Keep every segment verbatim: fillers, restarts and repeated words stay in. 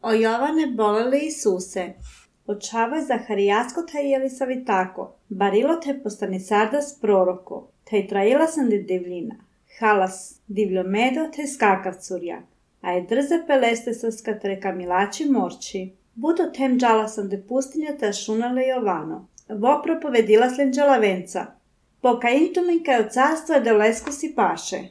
O Jovane boleli Isuse, očavoj Zaharijasko te Jelisavitako, barilo te postanisardas proroko, te traila sam de divljina, halas divljomedo te skakavcurja, a je drze peleste saska treka milači morči. Budo tem džala sam de pustinja te šunale Jovano, vo propovedila slen džalavenca, poka intumin kaj od carstva de lesko si paše.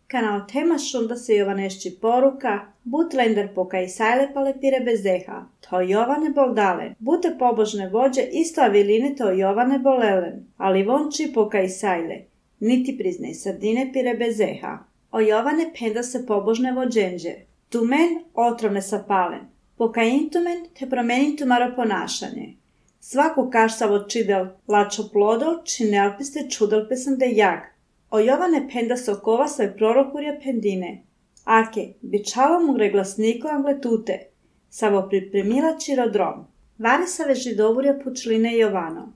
Kana o tema šunda se Jovanešći poruka, but lender poka i sajle palepire bezeha, to Jovane boldalen, bute pobožne vođe isto aviline to Jovane bolelen, ali vonči poka i sajle, niti priznej sardine pire bezeha. O Jovane penda se pobožne vođenđe, tumen otrovne sapalen, poka intumen te promenin tumaro ponašanje. Svaku kašsavo čidel lačo plodo, čine alpiste čudel sam de jag. O Jovane penda sokova svoj prorokurja pendine. Ake, bičalo mu greglasniko angletute, savo pripremila čirodrom. Vare save židovurja pučline Jovano.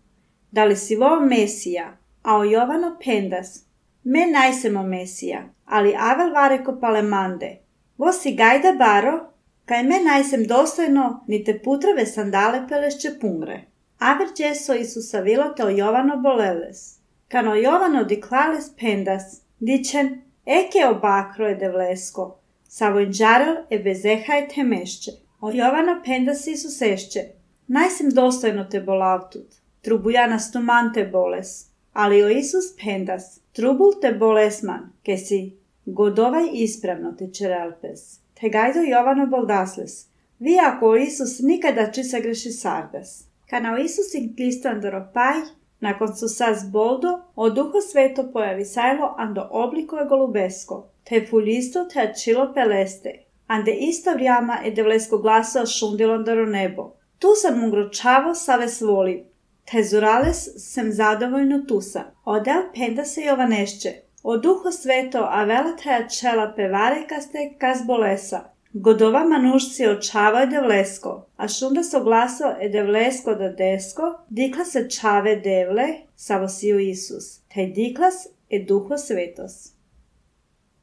Da li si vo Mesija, a o Jovano pendas. Me najsemo Mesija, ali avel vare ko palemande. Vo si gajda baro, kaj me najsem dostojno, ni te putrove sandale pelešće pungre. Aver djeso Isusa vilo te o Jovano boleles. Kano Jovano diklales pendas, dičen, eke obakro je devlesko, savojn džarel e bezeha je temešće. O Jovano pendas Isusešće, najsem dostojno te bolavtut, trubujana stuman te boles, ali o Isus pendas, trubul te bolesman, ke si godovaj ispravno te čerelpes. Te gajdo Jovano boldasles, vi ako o Isus nikada či se greši sardas. Kana o Isus ih glistan doropaj, nakon su sas boldo, o Duho Sveto pojavi sajlo ando obliko je golubesko, te fulisto te achilo peleste, ande isto vrijama e devlesko glaso šundilon daro nebo. Tu sam mu gročavo save svoli, te zurales sem zadovoljno tusa. Odel penda se Jovanešće, o Duho Sveto avela te achela pevare kaste kas bolesa. Godova manušci očavoj devlesko, a šunda so glaso e devlesko da desko, dikla se čave devle, savo siju Isus, te diklas e Duho Svetos.